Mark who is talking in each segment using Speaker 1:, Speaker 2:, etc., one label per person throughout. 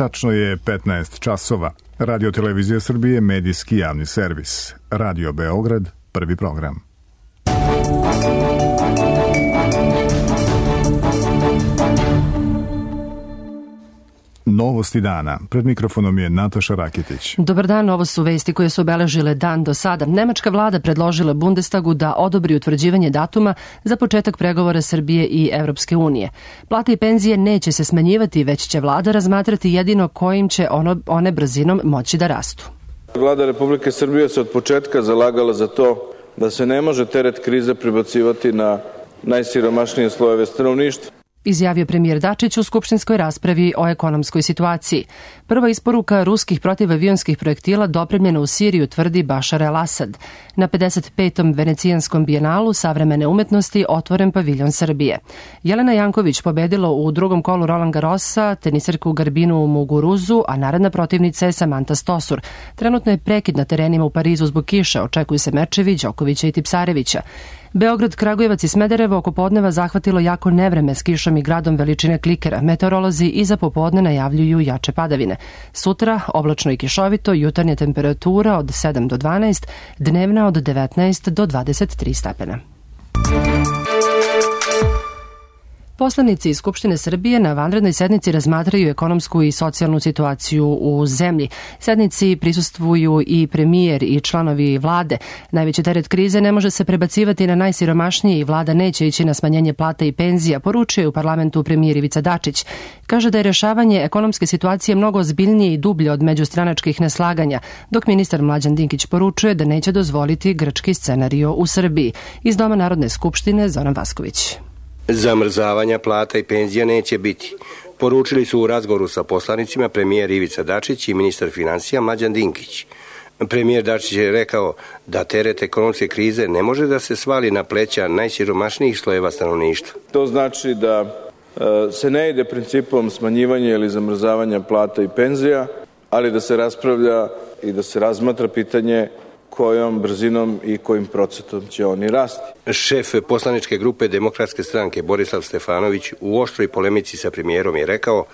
Speaker 1: Tačno je 15 časova. Radio Televizija Srbije, medijski javni servis. Radio Beograd, prvi program. Novosti dana. Pred mikrofonom je Nataša Rakitić.
Speaker 2: Dobar dan, ovo su vesti koje su obeležile dan do sada. Nemačka vlada predložila Bundestagu da odobri utvrđivanje datuma za početak pregovora Srbije i Evropske unije. Plate i penzije neće se smanjivati, već će vlada razmatrati jedino kojim će one brzinom moći da rastu.
Speaker 3: Vlada Republike Srbije se od početka zalagala za to da se ne može teret krize prebacivati na najsiromašnije slojeve stanovništva.
Speaker 2: Izjavio premijer Dačić u skupštinskoj raspravi o ekonomskoj situaciji. Prva isporuka ruskih protivavionskih projektila dopremljena u Siriju, tvrdi Bašar el-Asad. Na 55. Venecijanskom bijenalu savremene umetnosti otvoren paviljon Srbije. Jelena Janković pobedila u drugom kolu Roland Garrosa, tenisarku Garbinu Muguruzu, a naredna protivnica je Samanta Stosur. Trenutno je prekid na terenima u Parizu zbog kiše, očekuju se mečevi Đokovića i Tipsarevića. Beograd, Kragujevac i Smederevo oko podneva zahvatilo jako nevreme s kišom i gradom veličine klikera. Meteorolozi i za popodne najavljuju jače padavine. Sutra oblačno i kišovito, jutarnja temperatura od 7 do 12, dnevna od 19 do 23 stepena. Poslanici iz Skupštine Srbije na vanrednoj sednici razmatraju ekonomsku i socijalnu situaciju u zemlji. Sednici prisustvuju i premijer i članovi vlade. Najveći teret krize ne može se prebacivati na najsiromašnije i vlada neće ići na smanjenje plata i penzija, poručuje u parlamentu premijer Ivica Dačić. Kaže da je rešavanje ekonomske situacije mnogo ozbiljnije i dublje od međustranačkih neslaganja, dok ministar Mlađan Dinkić poručuje da neće dozvoliti grčki scenario u Srbiji. Iz Doma Narodne skupštine Zoran Vasković.
Speaker 4: Zamrzavanja plata i penzija neće biti. Poručili su u razgovoru sa poslanicima premijer Ivica Dačić i ministar financija Mlađan Dinkić. Premijer Dačić je rekao da teret ekonomske krize ne može da se svali na pleća najsiromašnijih slojeva stanovništva.
Speaker 3: To znači da se ne ide principom smanjivanja ili zamrzavanja plata i penzija, ali da se raspravlja i da se razmatra pitanje kojom brzinom i kojim procentom će oni rasti.
Speaker 4: Šef poslaničke grupe Demokratske stranke Borislav Stefanović u oštroj polemici sa premijerom je rekao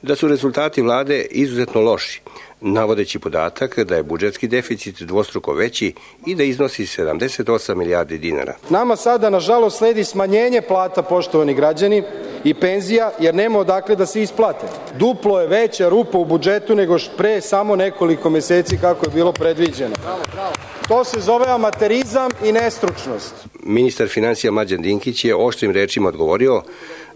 Speaker 4: da su rezultati vlade izuzetno loši, navodeći podatak da je budžetski deficit dvostruko veći i da iznosi 78 milijardi dinara.
Speaker 5: Nama sada, nažalost, sledi smanjenje plata, poštovani građani, i penzija, jer nema odakle da se isplate. Duplo je veća rupa u budžetu nego pre samo nekoliko meseci kako je bilo predviđeno. To se zove amaterizam i nestručnost.
Speaker 4: Ministar financija Mlađan Dinkić je oštrim rečima odgovorio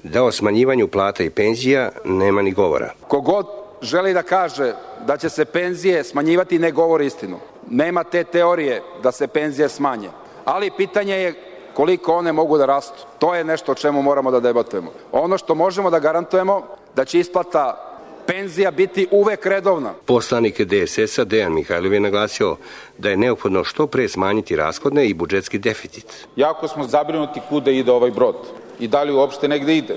Speaker 4: da o smanjivanju plata i penzija nema ni govora.
Speaker 6: Kogod želi da kaže da će se penzije smanjivati ne govori istinu. Nema te teorije da se penzije smanje. Ali pitanje je koliko one mogu da rastu. To je nešto o čemu moramo da debatujemo. Ono što možemo da garantujemo da će isplata penzija biti uvek redovna.
Speaker 4: Poslanik DSS-a Dejan Mihajlov je naglasio da je neophodno što pre smanjiti rashodne i budžetski deficit.
Speaker 7: Jako smo zabrinuti kuda ide ovaj brod i da li uopšte negde ide.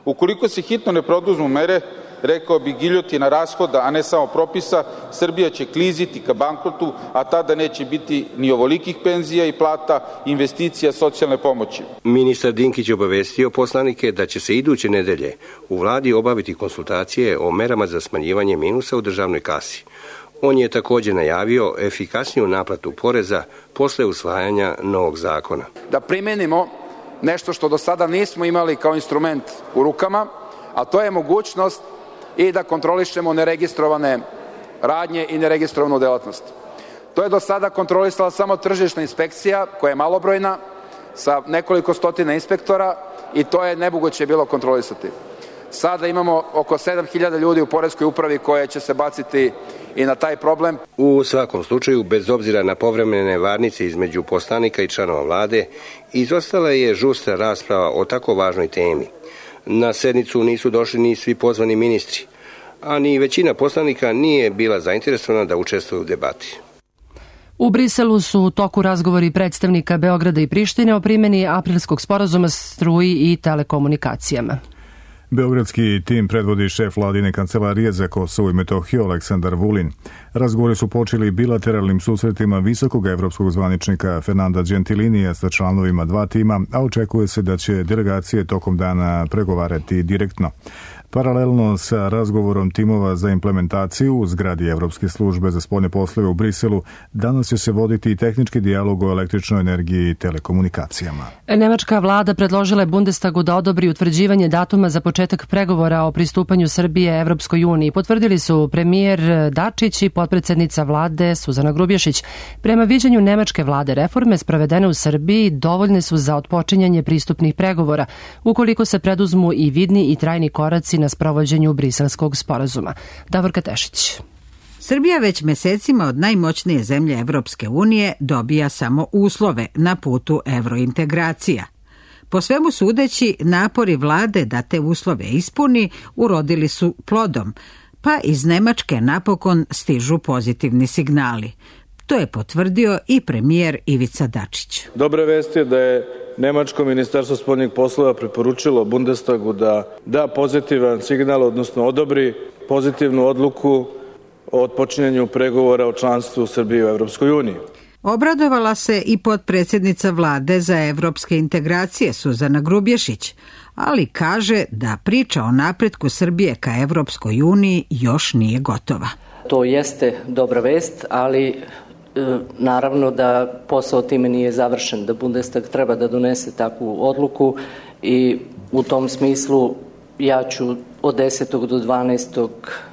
Speaker 7: Ukoliko se hitno ne produzmu mere, rekao bi giljotina rashoda, a ne samo propisa, Srbija će kliziti ka bankrotu, a tada neće biti ni ovolikih penzija i plata, investicija, socijalne pomoći.
Speaker 4: Ministar Dinkić obavestio poslanike da će se iduće nedelje u vladi obaviti konsultacije o merama za smanjivanje minusa u državnoj kasi. On je također najavio efikasniju naplatu poreza posle usvajanja novog zakona.
Speaker 6: Da primenimo nešto što do sada nismo imali kao instrument u rukama, a to je mogućnost i da kontrolišemo neregistrovane radnje i neregistrovanu delatnost. To je do sada kontrolisala samo tržišna inspekcija, koja je malobrojna, sa nekoliko stotina inspektora, i to je nemoguće bilo kontrolisati. Sada imamo oko 7.000 ljudi u poreskoj upravi koje će se baciti i na taj problem.
Speaker 4: U svakom slučaju, bez obzira na povremene varnice između poslanika i članova vlade, izostala je žustra rasprava o tako važnoj temi. Na sednicu nisu došli ni svi pozvani ministri, a ni većina poslanika nije bila zainteresovana da učestvuje u debati.
Speaker 2: U Briselu su u toku razgovori predstavnika Beograda i Prištine o primjeni aprilskog sporazuma struji i telekomunikacijama.
Speaker 1: Beogradski tim predvodi šef vladine kancelarije za Kosovo i Metohiju Aleksandar Vulin. Razgovori su počeli bilateralnim susretima visokog evropskog zvaničnika Fernanda Gentilinija sa članovima dva tima, a očekuje se da će delegacije tokom dana pregovarati direktno. Paralelno sa razgovorom timova za implementaciju u zgradi Evropske službe za spoljne poslove u Briselu, danas će se voditi i tehnički dijalog o električnoj energiji i telekomunikacijama.
Speaker 2: Nemačka vlada predložila je Bundestagu da odobri utvrđivanje datuma za početak pregovora o pristupanju Srbije Evropskoj uniji. Potvrdili su premijer Dačić i potpredsednica vlade Suzana Grubješić. Prema viđenju nemačke vlade, reforme sprovedene u Srbiji dovoljne su za otpočinjanje pristupnih pregovora, ukoliko se preduzmu i vidni i trajni koraci na sprovođenju Briselskog sporazuma. Davorka Tešić.
Speaker 8: Srbija već mesecima od najmoćnije zemlje Evropske unije dobija samo uslove na putu evrointegracija. Po svemu sudeći, napori vlade da te uslove ispuni urodili su plodom, pa iz Nemačke napokon stižu pozitivni signali. To je potvrdio i premijer Ivica Dačić.
Speaker 3: Dobra vest je da je Nemačko ministarstvo spoljnih poslova preporučilo Bundestagu da da pozitivan signal, odnosno odobri pozitivnu odluku o otpočinjanju pregovora o članstvu Srbije u Evropskoj uniji.
Speaker 8: Obradovala se i potpredsjednica vlade za evropske integracije Suzana Grubješić, ali kaže da priča o napretku Srbije ka Evropskoj uniji još nije gotova.
Speaker 9: To jeste dobra vest, ali naravno da posao time nije završen, da Bundestag treba da donese takvu odluku i u tom smislu ja ću od 10. do 12.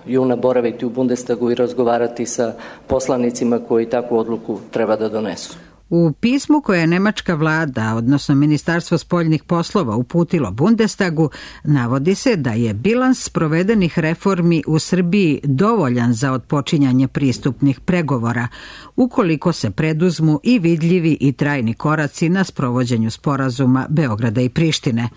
Speaker 9: juna boraviti u Bundestagu i razgovarati sa poslanicima koji takvu odluku treba da donesu.
Speaker 8: U pismu koje je nemačka vlada, odnosno Ministarstvo spoljnih poslova, uputilo Bundestagu, navodi se da je bilans sprovedenih reformi u Srbiji dovoljan za otpočinjanje pristupnih pregovora, ukoliko se preduzmu i vidljivi i trajni koraci na sprovođenju sporazuma Beograda i Prištine.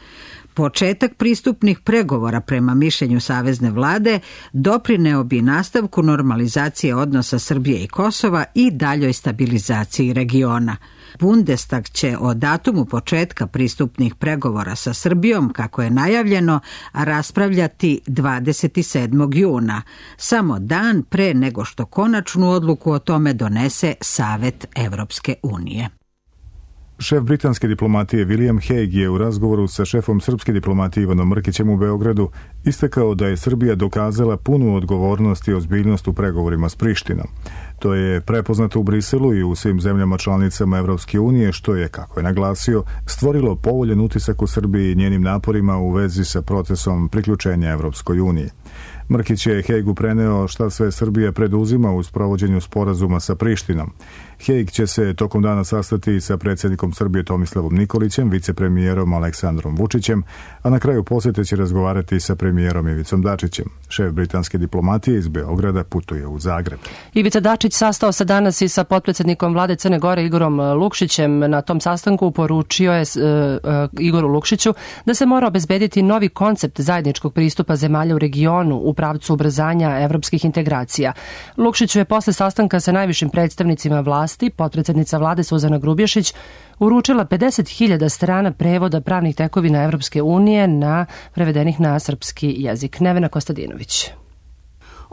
Speaker 8: Početak pristupnih pregovora prema mišljenju savezne vlade doprineo bi nastavku normalizacije odnosa Srbije i Kosova i daljoj stabilizaciji regiona. Bundestag će o datumu početka pristupnih pregovora sa Srbijom, kako je najavljeno, raspravljati 27. juna, samo dan pre nego što konačnu odluku o tome donese Savet Evropske unije.
Speaker 1: Šef britanske diplomatije William Hague je u razgovoru sa šefom srpske diplomatije Ivanom Mrkićem u Beogradu istakao da je Srbija dokazala punu odgovornost i ozbiljnost u pregovorima s Prištinom. To je prepoznato u Briselu i u svim zemljama članicama Evropske unije, što je, kako je naglasio, stvorilo povoljan utisak u Srbiji i njenim naporima u vezi sa procesom priključenja Evropskoj uniji. Mrkić je Hejgu preneo šta sve Srbija preduzima u sprovođenju sporazuma sa Prištinom. Hejg će se tokom dana sastati sa predsjednikom Srbije Tomislavom Nikolićem, vicepremijerom Aleksandrom Vučićem, a na kraju posjete će razgovarati sa premijerom Ivicom Dačićem. Šef britanske diplomatije iz Beograda putuje u Zagreb.
Speaker 2: Ivica Dačić sastao se danas i sa potpredsjednikom vlade Crne Gore Igorom Lukšićem. Na tom sastanku poručio je Igoru Lukšiću da se mora obezbediti novi koncept zajedničkog pristupa zemalja u regionu u pravcu ubrzanja evropskih integracija. Lukšiću je posle sastanka sa najvišim predstavnicima vlasti potpredsjednica vlade Suzana Grubješić uručila 50.000 strana prevoda pravnih tekovina Evropske unije prevedenih na srpski jezik. Nevena Kostadinović.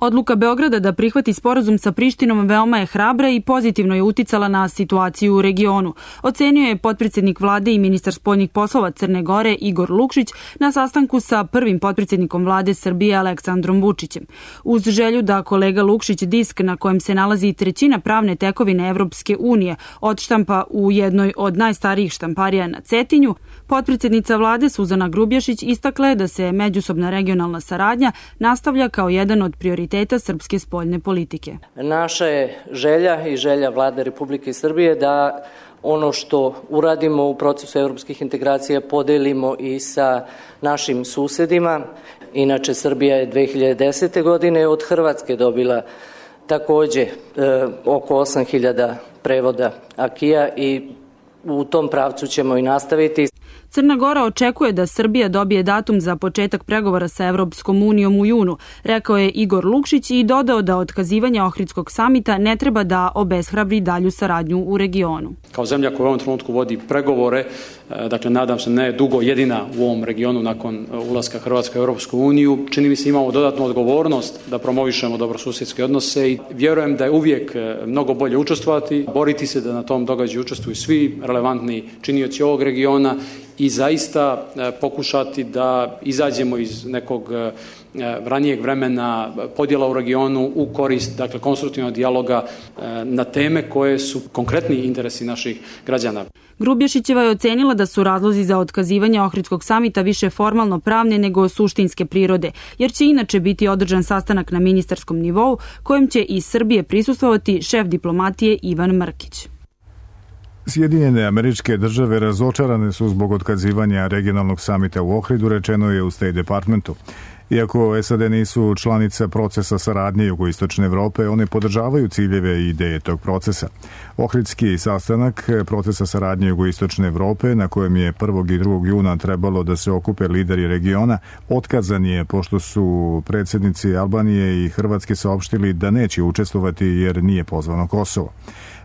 Speaker 10: Odluka Beograda da prihvati sporazum sa Prištinom veoma je hrabra i pozitivno je uticala na situaciju u regionu. Ocenio je potpredsjednik vlade i ministar spoljnih poslova Crne Gore Igor Lukšić na sastanku sa prvim potpredsjednikom vlade Srbije Aleksandrom Vučićem. Uz želju da kolega Lukšić disk na kojem se nalazi trećina pravne tekovine Evropske unije odštampa u jednoj od najstarijih štamparija na Cetinju, potpredsjednica vlade Suzana Grubješić istakla je da se međusobna regionalna saradnja nastavlja kao jedan od prioriteta srpske spoljne politike.
Speaker 9: Naša je želja i želja vlade Republike Srbije da ono što uradimo u procesu evropskih integracija podelimo i sa našim susedima. Inače, Srbija je 2010. godine od Hrvatske dobila takođe oko 8.000 prevoda akija i u tom pravcu ćemo i nastaviti.
Speaker 10: Crna Gora očekuje da Srbija dobije datum za početak pregovora sa Evropskom unijom u junu, rekao je Igor Lukšić i dodao da otkazivanje Ohridskog samita ne treba da obeshrabri dalju saradnju u regionu.
Speaker 11: Kao zemlja koja u ovom trenutku vodi pregovore dakle nadam se ne dugo jedina u ovom regionu nakon ulaska Hrvatske u Europsku uniju. Čini mi se imamo dodatnu odgovornost da promovišemo dobrosusjedske odnose i vjerujem da je uvijek mnogo bolje učestvovati, boriti se da na tom događaju učestvuju svi relevantni činioci ovog regiona i zaista pokušati da izađemo iz nekog ranijeg vremena podjela u regionu u korist, dakle, konstruktivnog dijaloga na teme koje su konkretni interesi naših građana.
Speaker 10: Grubješićeva je ocenila da su razlozi za otkazivanje Ohridskog samita više formalno pravne nego suštinske prirode, jer će inače biti održan sastanak na ministarskom nivou kojem će iz Srbije prisustvovati šef diplomatije Ivan Mrkić.
Speaker 1: Sjedinjene Američke Države razočarane su zbog otkazivanja regionalnog samita u Ohridu, rečeno je u State Departmentu. Iako SAD nisu članica procesa saradnje Jugoistočne Evrope, one podržavaju ciljeve i ideje tog procesa. Ohridski sastanak procesa saradnje Jugoistočne Evrope, na kojem je 1. i 2. juna trebalo da se okupe lideri regiona, otkazan je pošto su predsjednici Albanije i Hrvatske saopštili da neće učestvovati jer nije pozvano Kosovo.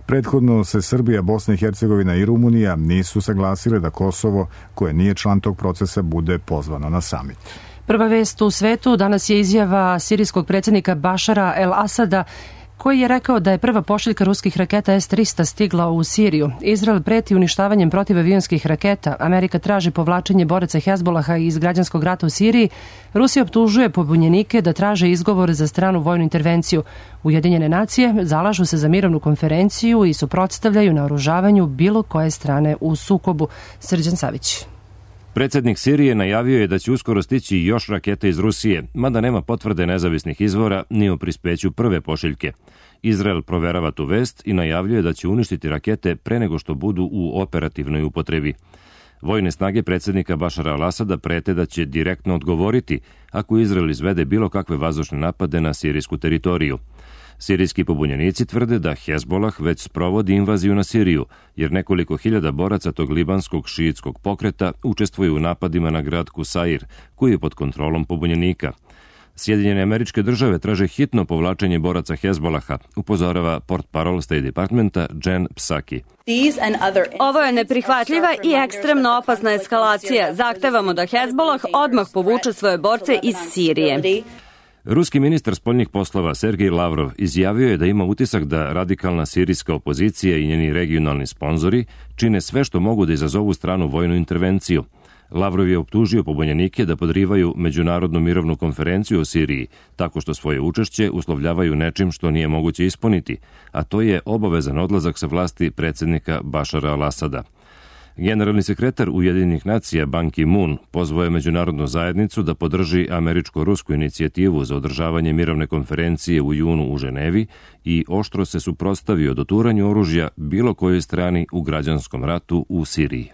Speaker 1: Prethodno se Srbija, Bosna i Hercegovina i Rumunija nisu saglasile da Kosovo, koje nije član tog procesa, bude pozvano na samit.
Speaker 2: Prva vest u svetu danas je izjava sirijskog predsjednika Bašara el-Asada, koji je rekao da je prva pošiljka ruskih raketa S-300 stigla u Siriju. Izrael preti uništavanjem protivavionskih raketa. Amerika traži povlačenje boraca Hezbolaha iz građanskog rata u Siriji. Rusija optužuje pobunjenike da traže izgovor za stranu vojnu intervenciju. Ujedinjene nacije zalažu se za mirovnu konferenciju i suprotstavljaju naoružavanju bilo koje strane u sukobu. Srđan Savić.
Speaker 12: Predsjednik Sirije najavio je da će uskoro stići još rakete iz Rusije, mada nema potvrde nezavisnih izvora ni o prispeću prve pošiljke. Izrael proverava tu vest i najavljuje da će uništiti rakete pre nego što budu u operativnoj upotrebi. Vojne snage predsjednika Bašara al-Asada prete da će direktno odgovoriti ako Izrael izvede bilo kakve vazdušne napade na sirijsku teritoriju. Sirijski pobunjenici tvrde da Hezbolah već sprovodi invaziju na Siriju, jer nekoliko hiljada boraca tog libanskog šiitskog pokreta učestvuju u napadima na grad Kusair, koji je pod kontrolom pobunjenika. Sjedinjene Američke Države traže hitno povlačenje boraca Hezbolaha, upozorava portparol State Departmenta Jen Psaki.
Speaker 13: Ovo je neprihvatljiva i ekstremno opasna eskalacija. Zahtevamo da Hezbolah odmah povuče svoje borce iz Sirije.
Speaker 12: Ruski ministar spoljnih poslova Sergej Lavrov izjavio je da ima utisak da radikalna sirijska opozicija i njeni regionalni sponzori čine sve što mogu da izazovu stranu vojnu intervenciju. Lavrov je optužio pobunjenike da podrivaju međunarodnu mirovnu konferenciju o Siriji, tako što svoje učešće uslovljavaju nečim što nije moguće ispuniti, a to je obavezan odlazak sa vlasti predsjednika Bašara al-Asada. Generalni sekretar Ujedinjenih nacija Ban Ki-moon pozvao je međunarodnu zajednicu da podrži američko-rusku inicijativu za održavanje mirovne konferencije u junu u Ženevi i oštro se suprotstavio doturanju oružja bilo kojoj strani u građanskom ratu u Siriji.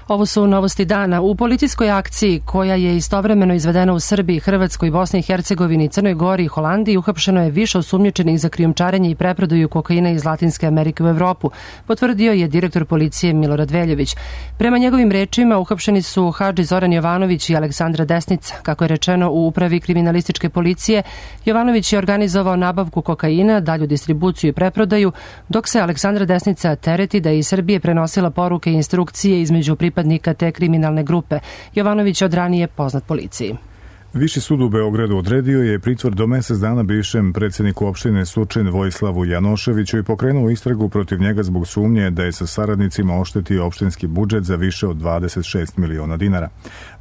Speaker 2: Ovo su novosti dana. U policijskoj akciji koja je istovremeno izvedena u Srbiji, Hrvatskoj, Bosni i Hercegovini, Crnoj Gori i Holandiji uhapšeno je više osumnjičenih za krijumčarenje i preprodaju kokaina iz Latinske Amerike u Evropu, potvrdio je direktor policije Milorad Veljović. Prema njegovim rečima uhapšeni su Hadži Zoran Jovanović i Aleksandra Desnica. Kako je rečeno u upravi kriminalističke policije, Jovanović je organizovao nabavku kokaina, dalju distribuciju i preprodaju, dok se Aleksandra Desnica tereti da je iz Srbije prenosila poruke i instrukcije između pripadnika te kriminalne grupe. Jovanović je od ranije poznat policiji.
Speaker 1: Viši sud u Beogradu odredio je pritvor do mesec dana bivšem predsjedniku opštine Surčin Vojislavu Janoševiću i pokrenuo istragu protiv njega zbog sumnje da je sa saradnicima oštetio opštinski budžet za više od 26 miliona dinara.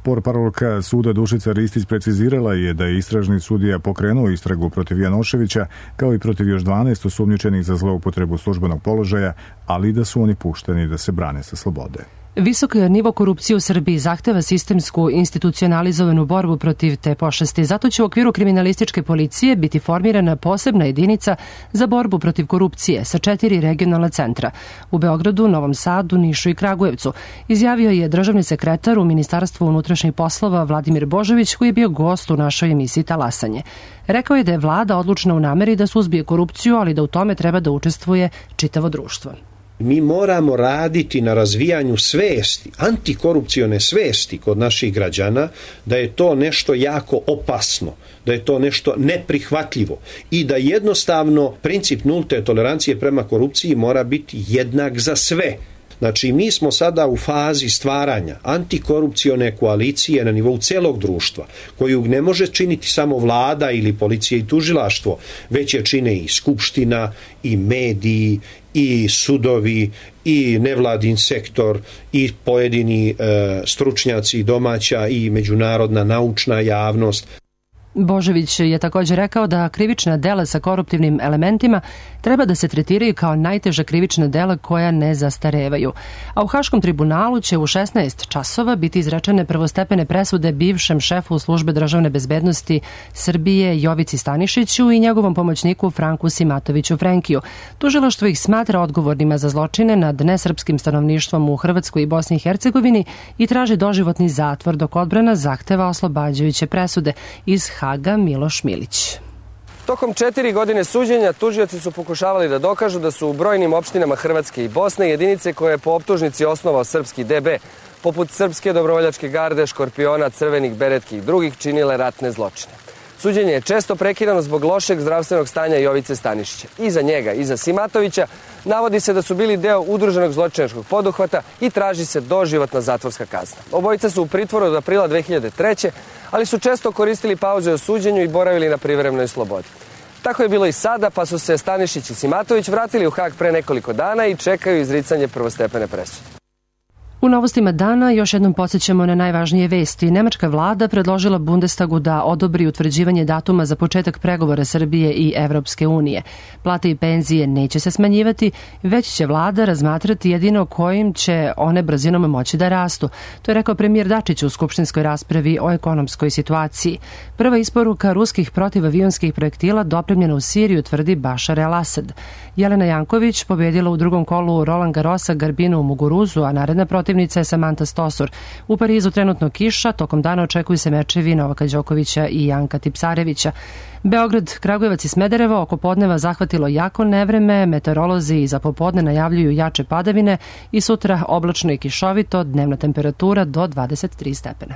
Speaker 1: Portparolka suda Dušica Ristić precizirala je da je istražni sudija pokrenuo istragu protiv Janoševića kao i protiv još 12 osumnjičenih za zloupotrebu službenog položaja, ali da su oni pušteni da se brane sa slobode.
Speaker 2: Visok nivo korupcije u Srbiji zahteva sistemsku institucionalizovanu borbu protiv te pošasti. Zato će u okviru kriminalističke policije biti formirana posebna jedinica za borbu protiv korupcije sa 4 regionalna centra u Beogradu, Novom Sadu, Nišu i Kragujevcu, izjavio je državni sekretar u Ministarstvu unutrašnjih poslova Vladimir Božović, koji je bio gost u našoj emisiji Talasanje. Rekao je da je vlada odlučna u nameri da suzbije korupciju, ali da u tome treba da učestvuje čitavo društvo.
Speaker 14: Mi moramo raditi na razvijanju svesti, antikorupcione svesti kod naših građana, da je to nešto jako opasno, da je to nešto neprihvatljivo i da jednostavno princip nulte tolerancije prema korupciji mora biti jednak za sve. Znači, mi smo sada u fazi stvaranja antikorupcione koalicije na nivou celog društva, koju ne može činiti samo vlada ili policija i tužilaštvo, već je čine i skupština, i mediji, i sudovi, i nevladin sektor, i pojedini stručnjaci domaća i međunarodna naučna javnost.
Speaker 2: Božović je također rekao da krivična dela sa koruptivnim elementima treba da se tretiraju kao najteža krivična dela koja ne zastarevaju. A u Haškom tribunalu će u 16 časova biti izrečene prvostepene presude bivšem šefu službe državne bezbednosti Srbije Jovici Stanišiću i njegovom pomoćniku Franku Simatoviću Frenkiju. Tužilaštvo ih smatra odgovornima za zločine nad nesrpskim stanovništvom u Hrvatskoj i Bosni i Hercegovini i traži doživotni zatvor, dok odbrana zahteva oslobađajuće presude. Iz Haga Miloš Milić.
Speaker 15: Tokom 4 godine suđenja tužioci su pokušavali da dokažu da su u brojnim opštinama Hrvatske i Bosne jedinice koje je po optužnici osnovao srpski DB, poput Srpske dobrovoljačke garde, Škorpiona, Crvenih beretki i drugih, činile ratne zločine. Suđenje je često prekidano zbog lošeg zdravstvenog stanja Jovice Stanišića. I za njega i za Simatovića navodi se da su bili deo udruženog zločinačkog poduhvata i traži se doživotna zatvorska kazna. Obojica su u pritvoru od aprila 2003. ali su često koristili pauze o suđenju i boravili na privremenoj slobodi. Tako je bilo i sada, pa su se Stanišić i Simatović vratili u Hag pre nekoliko dana i čekaju izricanje prvostepene presude.
Speaker 2: U novostima dana još jednom podsjećamo na najvažnije vesti. Nemačka vlada predložila Bundestagu da odobri utvrđivanje datuma za početak pregovora Srbije i Evropske unije. Plate i penzije neće se smanjivati, već će vlada razmatrati jedino kojim će one brzinom moći da rastu. To je rekao premijer Dačić u skupštinskoj raspravi o ekonomskoj situaciji. Prva isporuka ruskih protivavionskih projektila dopremljena u Siriju, tvrdi Bašar el-Asad. Jelena Janković pobedila u drugom kolu Roland Garrosa Garbinu u Muguruzu, a naredna protivnica je Samantha Stosur. U Parizu trenutno kiša, tokom dana očekuju se mečevi Novaka Đokovića i Janka Tipsarevića. Beograd, Kragujevac i Smederevo oko podneva zahvatilo jako nevreme, meteorolozi i za popodne najavljuju jače padavine i sutra oblačno i kišovito, dnevna temperatura do 23 stepena.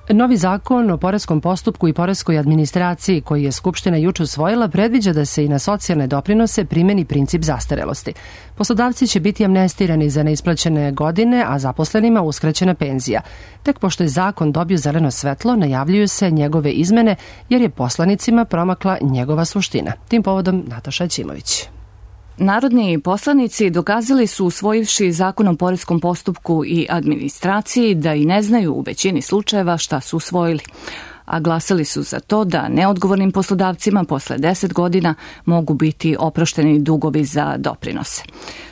Speaker 2: Novi zakon o poreskom postupku i poreskoj administraciji koji je Skupština juče usvojila predviđa da se i na socijalne doprinose primeni princip zastarelosti. Poslodavci će biti amnestirani za neisplaćene godine, a zaposlenima uskraćena penzija. Tek pošto je zakon dobio zeleno svetlo, najavljuju se njegove izmene jer je poslanicima promakla njegova suština. Tim povodom Nataša Ćimović.
Speaker 16: Narodni poslanici dokazali su, usvojivši zakon o poreskom postupku i administraciji, da i ne znaju u većini slučajeva šta su usvojili. A glasali su za to da neodgovornim poslodavcima posle 10 godina mogu biti oprošteni dugovi za doprinose.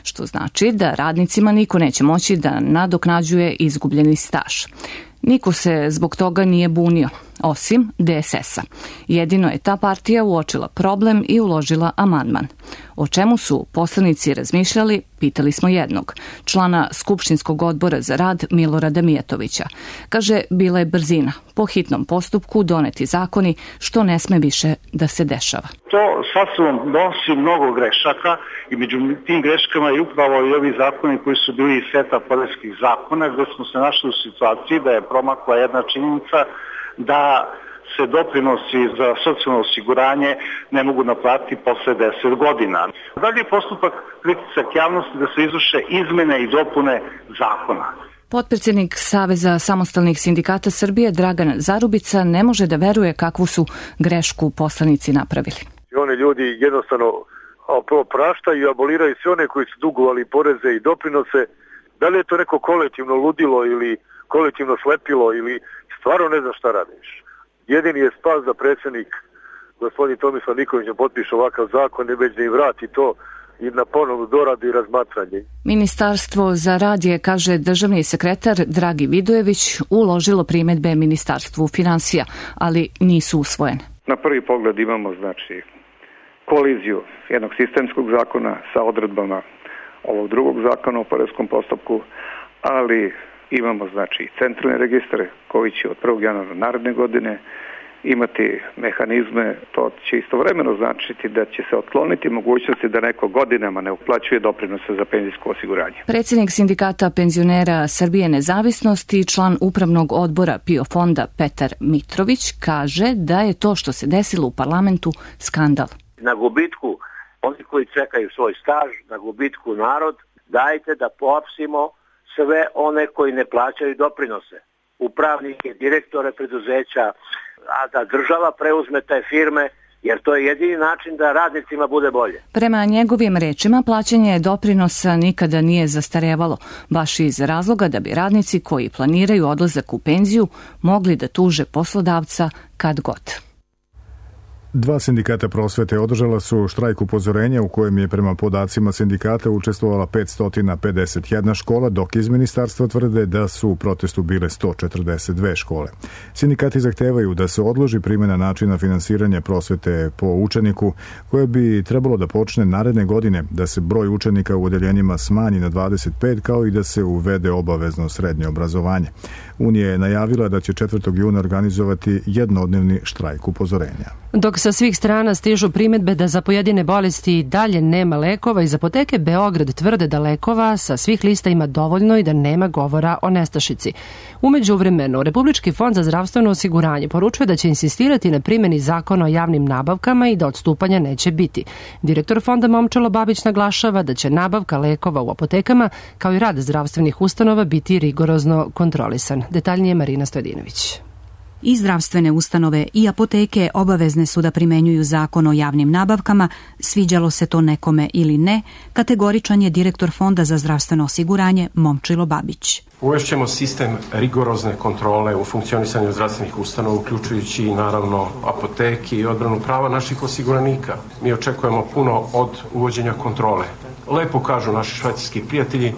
Speaker 16: Što znači da radnicima niko neće moći da nadoknađuje izgubljeni staž. Niko se zbog toga nije bunio, osim DSS-a. Jedino je ta partija uočila problem i uložila amandman. O čemu su poslanici razmišljali, pitali smo jednog, člana Skupštinskog odbora za rad Milorada Mijatovića. Kaže, bila je brzina, po hitnom postupku doneti zakoni, što ne sme više da se dešava.
Speaker 17: To sasvom donosi mnogo grešaka i među tim greškama je upravo i ovi zakoni koji su bili iz seta poreskih zakona, gde smo se našli u situaciji da je promakla jedna činjenica da se doprinosi za socijalno osiguranje ne mogu naplatiti posle 10 godina. Dalje je postupak pritisak javnosti da se izvrše izmene i dopune zakona.
Speaker 16: Potpredsjednik Saveza samostalnih sindikata Srbije Dragan Zarubica ne može da veruje kakvu su grešku poslanici napravili.
Speaker 18: Oni ljudi jednostavno praštaju i aboliraju sve one koji su dugovali poreze i doprinose. Da li je to neko kolektivno ludilo ili kolektivno slepilo ili stvarno ne znam šta radiš. Jedini je spas da predsjednik gospodin Tomislav Nikolić ne potpiše ovakav zakon, ne već da im vrati to i na ponovnu doradu i razmatranje.
Speaker 16: Ministarstvo za rad je, kaže državni sekretar Dragi Vidojević, uložilo primedbe Ministarstvu finansija, ali nisu usvojene.
Speaker 19: Na prvi pogled imamo koliziju jednog sistemskog zakona sa odredbama ovog drugog zakona o poreskom postupku, ali imamo centralne registre koji će od 1. januara naredne godine imati mehanizme, to će istovremeno značiti da će se otkloniti mogućnosti da neko godinama ne uplaćuje doprinose za penzijsko osiguranje.
Speaker 16: Predsjednik Sindikata penzionera Srbije Nezavisnost i član upravnog odbora PIO fonda Petar Mitrović kaže da je to što se desilo u parlamentu skandal.
Speaker 20: Na gubitku oni koji čekaju svoj staž, na gubitku narod, dajte da pohapsimo sve one koji ne plaćaju doprinose, upravnike, direktore preduzeća, a da država preuzme te firme, jer to je jedini način da radnicima bude bolje.
Speaker 16: Prema njegovim rečima, plaćanje doprinosa nikada nije zastarevalo, baš iz razloga da bi radnici koji planiraju odlazak u penziju mogli da tuže poslodavca kad god.
Speaker 1: 2 sindikata prosvete održala su štrajk upozorenja u kojem je prema podacima sindikata učestvovala 551 škola, dok iz ministarstva tvrde da su u protestu bile 142 škole. Sindikati zahtevaju da se odloži primjena načina finansiranja prosvete po učeniku, koje bi trebalo da počne naredne godine, da se broj učenika u odeljenjima smanji na 25, kao i da se uvede obavezno srednje obrazovanje. Unija je najavila da će 4. juna organizovati jednodnevni štrajk upozorenja.
Speaker 2: Dok sa svih strana stižu primedbe da za pojedine bolesti dalje nema lekova, iz apoteke Beograd tvrde da lekova sa svih lista ima dovoljno i da nema govora o nestašici. U međuvremenu, Republički fond za zdravstveno osiguranje poručuje da će insistirati na primjeni zakona o javnim nabavkama i da odstupanja neće biti. Direktor fonda Momčilo Babić naglašava da će nabavka lekova u apotekama, kao i rad zdravstvenih ustanova, biti rigorozno kontrolisan. Detaljnije Marina Stojedinović.
Speaker 21: I zdravstvene ustanove i apoteke obavezne su da primenjuju zakon o javnim nabavkama, sviđalo se to nekome ili ne, kategoričan je direktor Fonda za zdravstveno osiguranje Momčilo Babić.
Speaker 22: Uvešćemo sistem rigorozne kontrole u funkcionisanju zdravstvenih ustanova, uključujući i naravno apoteke i odbranu prava naših osiguranika. Mi očekujemo puno od uvođenja kontrole. Lepo kažu naši švajcarski prijatelji,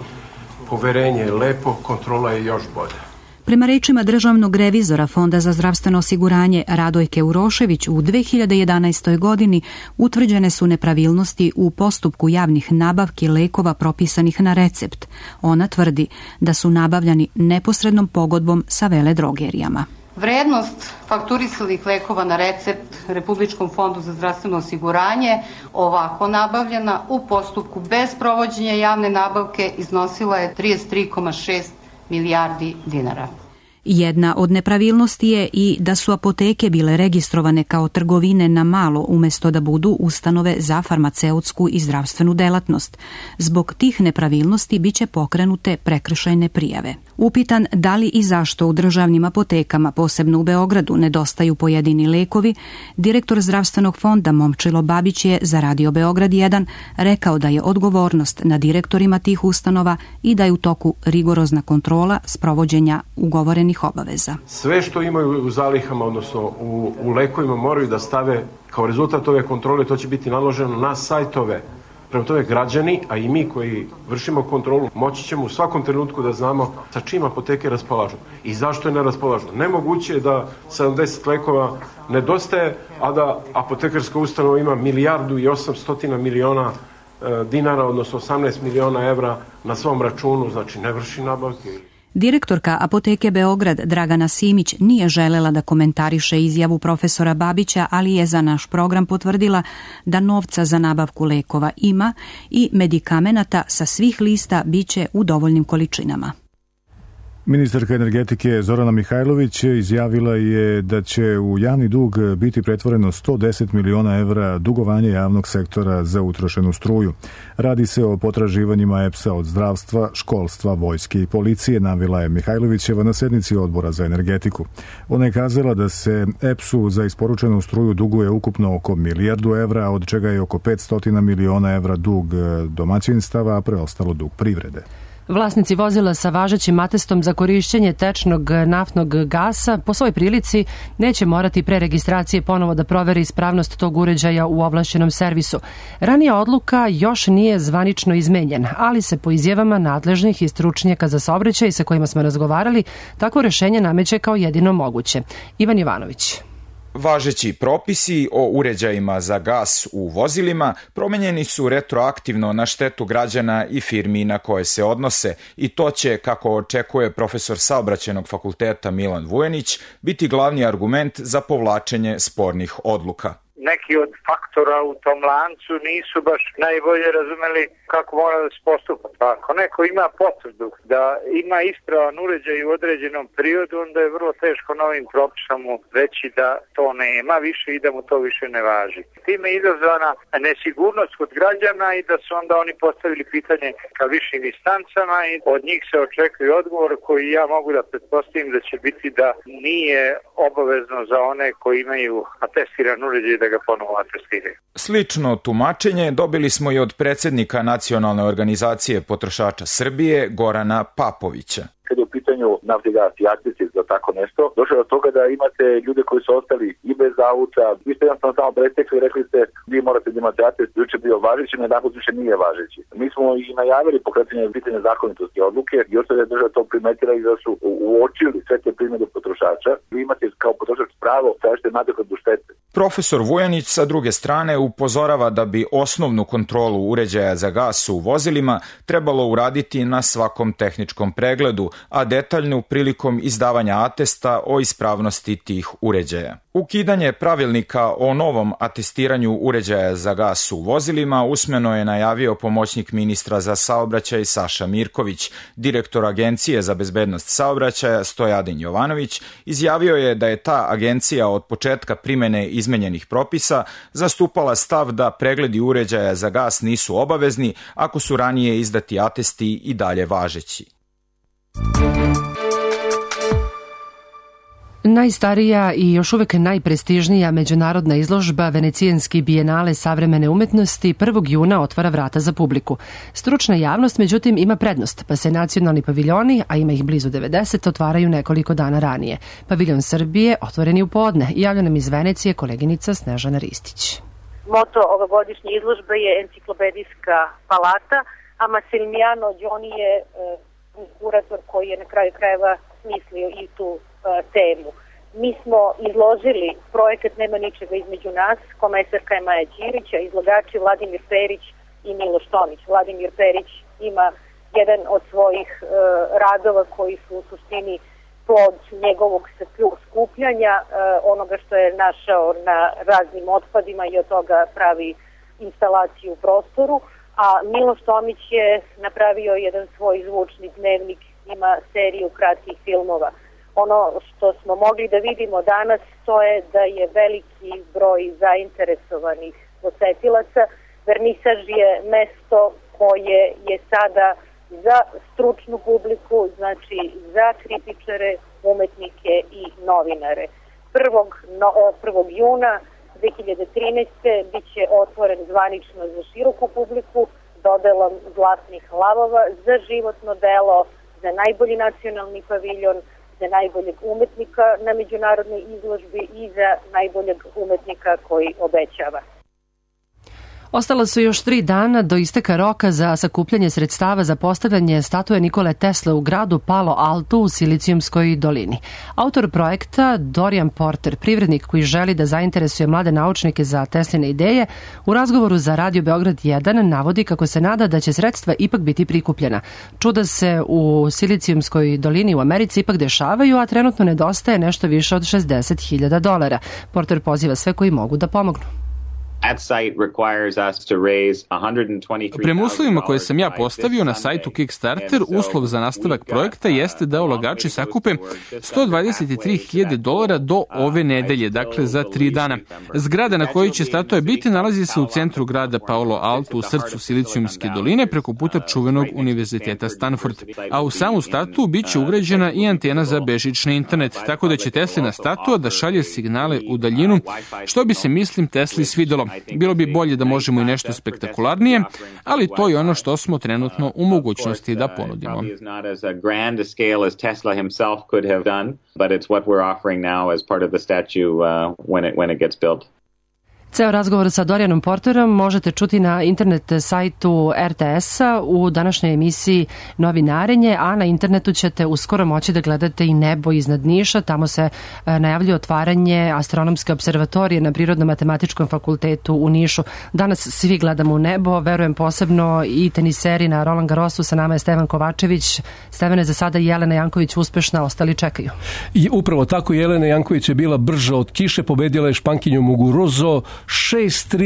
Speaker 22: poverenje je lepo, kontrola je još bolja.
Speaker 21: Prema rečima državnog revizora Fonda za zdravstveno osiguranje Radojke Urošević, u 2011. godini utvrđene su nepravilnosti u postupku javnih nabavki lekova propisanih na recept. Ona tvrdi da su nabavljani neposrednom pogodbom sa veledrogerijama.
Speaker 23: Vrednost fakturisanih lekova na recept Republičkom fondu za zdravstveno osiguranje ovako nabavljena u postupku bez provođenja javne nabavke iznosila je 33,6 milijardi dinara.
Speaker 21: Jedna od nepravilnosti je i da su apoteke bile registrovane kao trgovine na malo umjesto da budu ustanove za farmaceutsku i zdravstvenu delatnost. Zbog tih nepravilnosti biće pokrenute prekršajne prijave. Upitan da li i zašto u državnim apotekama, posebno u Beogradu, nedostaju pojedini lekovi, direktor zdravstvenog fonda Momčilo Babić je za Radio Beograd 1 rekao da je odgovornost na direktorima tih ustanova i da je u toku rigorozna kontrola sprovođenja ugovorenih obaveza.
Speaker 22: Sve što imaju u zalihama, odnosno u lekovima, moraju da stave kao rezultat ove kontrole, to će biti naloženo na sajtove. Prema tome građani, a i mi koji vršimo kontrolu, moći ćemo u svakom trenutku da znamo sa čim apoteke raspolažu i zašto je ne raspolažu. Nemoguće je da 70 lekova nedostaje, a da apotekarska ustanova ima 1,8 milijardi dinara, odnosno 18 miliona evra na svom računu, znači ne vrši nabavke.
Speaker 21: Direktorka apoteke Beograd Dragana Simić nije želela da komentariše izjavu profesora Babića, ali je za naš program potvrdila da novca za nabavku lekova ima i medikamenata sa svih lista biće u dovoljnim količinama.
Speaker 1: Ministarka energetike Zorana Mihajlović izjavila je da će u javni dug biti pretvoreno 110 miliona evra dugovanja javnog sektora za utrošenu struju. Radi se o potraživanjima EPS-a od zdravstva, školstva, vojske i policije, navela je Mihajlovićeva na sednici odbora za energetiku. Ona je kazala da se EPS-u za isporučenu struju duguje ukupno oko 1 milijardu evra, od čega je oko 500 miliona evra dug domaćinstava, a preostalo dug privrede.
Speaker 2: Vlasnici vozila sa važećim atestom za korišćenje tečnog naftnog gasa po svoj prilici neće morati pre registracije ponovo da proveri ispravnost tog uređaja u ovlašćenom servisu. Ranija odluka još nije zvanično izmenjena, ali se po izjavama nadležnih i stručnjaka za saobraćaj sa kojima smo razgovarali, takvo rešenje nameće kao jedino moguće. Ivan Jovanović.
Speaker 5: Važeći propisi o uređajima za gas u vozilima promenjeni su retroaktivno na štetu građana i firmi na koje se odnose i to će, kako očekuje profesor Saobraćajnog fakulteta Milan Vujanić, biti glavni argument za povlačenje spornih odluka.
Speaker 6: Neki od faktora u tom lancu nisu baš najbolje razumeli kako mora da se postupa. Pa ako neko ima potvrdu da ima ispravan uređaj u određenom periodu, onda je vrlo teško novim propisom mu reći da to nema više i da mu to više ne važi. Time je izazvana nesigurnost kod građana i da su onda oni postavili pitanje ka višim instancama i od njih se očekuje odgovor koji ja mogu da pretpostavim da će biti da nije obavezno za one koji imaju atestiran uređaj da ga ponovo atestiraju.
Speaker 5: Slično tumačenje dobili smo i od predsjednika Nacionalne organizacije potrošača Srbije Gorana Papovića.
Speaker 7: Kad je u pitanju nafti, gas i akcize za tako nešto, došlo do toga da imate ljude koji su ostali i bez auta. Vi ste jednostavno samo prestekli i rekli ste vi morate da imate atest, juče bio važeći, na danas više nije važeći. Mi smo i najavili pokretanje pitanja zakonitosti odluke i ostaje da je država to primetila i da su uočili sve te primjedbe potrošača. Vi imate kao potrošač pravo tražite nadoknadu štete.
Speaker 5: Profesor Vujanić sa druge strane upozorava da bi osnovnu kontrolu uređaja za gas u vozilima trebalo uraditi na svakom tehničkom pregledu, a detaljnu prilikom izdavanja atesta o ispravnosti tih uređaja. Ukidanje pravilnika o novom atestiranju uređaja za gas u vozilima usmeno je najavio pomoćnik ministra za saobraćaj Saša Mirković. Direktor Agencije za bezbednost saobraćaja Stojadin Jovanović izjavio je da je ta agencija od početka primene izmenjenih propisa zastupala stav da pregledi uređaja za gas nisu obavezni ako su ranije izdati atesti i dalje važeći.
Speaker 2: Najstarija i još uvek najprestižnija međunarodna izložba Venecijanski bijenale savremene umetnosti 1. juna otvara vrata za publiku. Stručna javnost, međutim, ima prednost, pa se nacionalni paviljoni, a ima ih blizu 90, otvaraju nekoliko dana ranije. Paviljon Srbije otvoren je u podne. Javlja nam iz Venecije koleginica Snežana Ristić.
Speaker 24: Moto ovogodišnje izložbe je enciklopedijska palata, a Massimiliano Gioni je kurator koji je na kraju krajeva smislio i tu temu. Mi smo izložili projekat Nema ničega između nas, komesarka je Maja Ćirić, a izlogači Vladimir Perić i Miloš Tomić. Vladimir Perić ima jedan od svojih radova koji su u suštini plod njegovog skupljanja, onoga što je našao na raznim otpadima i od toga pravi instalaciju u prostoru, a Miloš Tomić je napravio jedan svoj zvučni dnevnik, ima seriju kratkih filmova. Ono što smo mogli da vidimo danas, to je da je veliki broj zainteresovanih posetilaca. Vernisaž je mesto koje je sada za stručnu publiku, znači za kritičare, umetnike i novinare. 1. juna 2013. bit će otvoren zvanično za široku publiku dodelom zlatnih lavova za životno delo, za najbolji nacionalni paviljon, za najboljeg umetnika na međunarodnoj izložbi i za najboljeg umetnika koji obećava.
Speaker 2: Ostala su još 3 dana do isteka roka za sakupljanje sredstava za postavljanje statue Nikole Tesle u gradu Palo Alto u Silicijumskoj dolini. Autor projekta, Dorian Porter, privrednik koji želi da zainteresuje mlade naučnike za Tesline ideje, u razgovoru za Radio Beograd 1 navodi kako se nada da će sredstva ipak biti prikupljena. Čuda se u Silicijumskoj dolini u Americi ipak dešavaju, a trenutno nedostaje nešto više od $60.000. Porter poziva sve koji mogu da pomognu.
Speaker 25: Prema uslovima koje sam ja postavio na sajtu Kickstarter, uslov za nastavak projekta jeste da ulagači sakupe $123.000 do ove nedelje, dakle za 3 dana. Zgrada na kojoj će statua biti nalazi se u centru grada Palo Alto, u srcu Silicijumske doline, preko puta čuvenog univerziteta Stanford. A u samu statu bit će ugrađena i antena za bežični internet, tako da će Teslina statua da šalje signale u daljinu, što bi se, mislim, Tesli svidelo. Bilo bi bolje da možemo i nešto spektakularnije, ali to je ono što smo trenutno u mogućnosti da ponudimo.
Speaker 2: Ceo razgovor sa Dorijanom Porterom možete čuti na internet sajtu RTS-a u današnjoj emisiji Novinarenje, a na internetu ćete uskoro moći da gledate i nebo iznad Niša. Tamo se najavljuje otvaranje astronomske observatorije na Prirodno-matematičkom fakultetu u Nišu. Danas svi gledamo u nebo, verujem posebno i teniseri na Roland Garrosu. Sa nama je Stevan Kovačević. Stevane, za sada Jelena Janković uspešna, ostali čekaju.
Speaker 3: I upravo tako, Jelena Janković je bila brža od kiše, pobedila je Špankinju Muguruzo 6-3,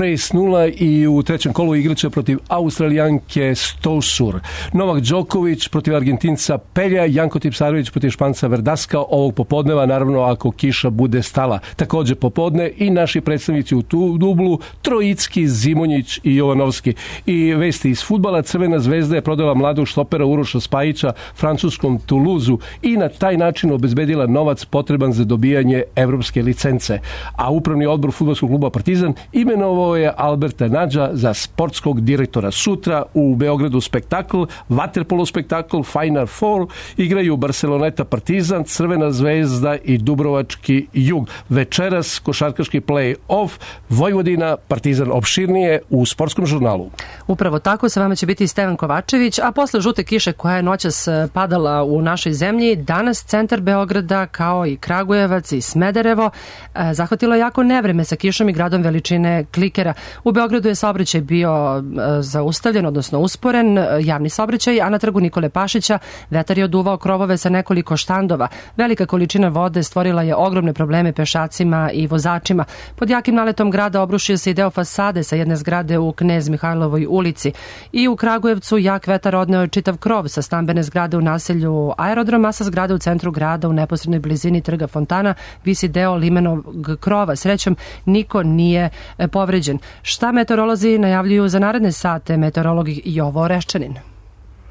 Speaker 3: 6-0 i u trećem kolu igraće protiv Australijanke Stosur. Novak Đoković protiv Argentinca Pelja, Janko Tipsarević protiv Španca Verdaska ovog popodneva, naravno ako kiša bude stala. Takođe popodne i naši predstavnici u tu dublu, Trojicki, Zimonjić i Jovanovski. I vesti iz fudbala, Crvena zvezda je prodala mladog štopera Uroša Spajića francuskom Toulouseu i na taj način obezbedila novac potreban za dobijanje evropske licence. A upravni odbor fudbalskog kluba Partizan imenovao je Alberta Nadža za sportskog direktora. Sutra u Beogradu spektakl, vaterpolo spektakl, Final Four, igraju Barceloneta Partizan, Crvena zvezda i Dubrovački Jug. Večeras košarkaški play-off, Vojvodina, Partizan, opširnije u sportskom žurnalu.
Speaker 2: Upravo tako, sa vama će biti Stevan Kovačević, a posle žute kiše koja je noćas padala u našoj zemlji, danas centar Beograda kao i Kragujevac i Smederevo zahvatilo jako nevreme sa kišom i gradom veličine klikera. U Beogradu je saobraćaj bio zaustavljen, odnosno usporen, javni saobraćaj, a na trgu Nikole Pašića vetar je oduvao krovove sa nekoliko štandova. Velika količina vode stvorila je ogromne probleme pešacima i vozačima. Pod jakim naletom grada obrušio se i deo fasade sa jedne zgrade u Knez Mihajlovoj ulici. I u Kragujevcu jak vetar odneo je čitav krov sa stambene zgrade u naselju Aerodrom, a sa zgrade u centru grada u neposrednoj blizini trga Fontana visi deo limenog krova. Srećom, niko nije povređen. Šta meteorolozi najavljuju za naredne sate? Meteorolog Jovo Oreščanin.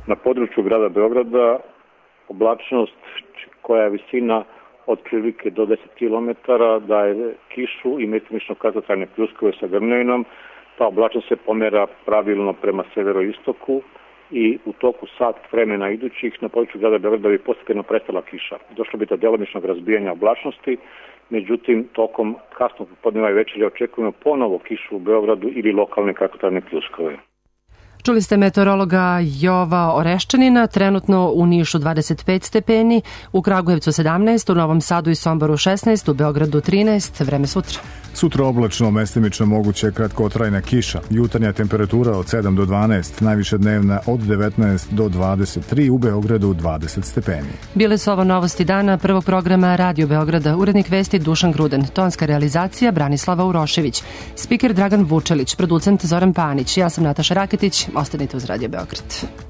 Speaker 4: Na području grada Beograda oblačnost koja je visina od prilike do 10 km daje kišu i mestimično kratkotrajne pljuskove sa grmljavinom. Ta oblačnost se pomera pravilno prema severoistoku i u toku sat vremena idućih na području grada Beograda bi postepeno prestala kiša. Došlo bi do delimičnog razbijanja oblačnosti, međutim tokom kasnog popodneva i večeri očekujemo ponovo kišu u Beogradu ili lokalne kratkotrajne pljuskove.
Speaker 2: Čuli ste meteorologa Jova Oreščanina, trenutno u Nišu 25 stepeni, u Kragujevcu 17, u Novom Sadu i Somboru 16, u Beogradu 13, vreme sutra.
Speaker 1: Sutra oblačno, mestimično moguće kratkotrajna kiša. Jutarnja temperatura od 7 do 12, najviše dnevna od 19 do 23, u Beogradu 20 stepeni.
Speaker 2: Bile su ovo novosti dana prvog programa Radio Beograda. Urednik vesti Dušan Gruden, tonska realizacija Branislava Urošević, spiker Dragan Vučelić, producent Zoran Panić. Ja sam Nataša Raketić, ostanite uz Radio Beograd.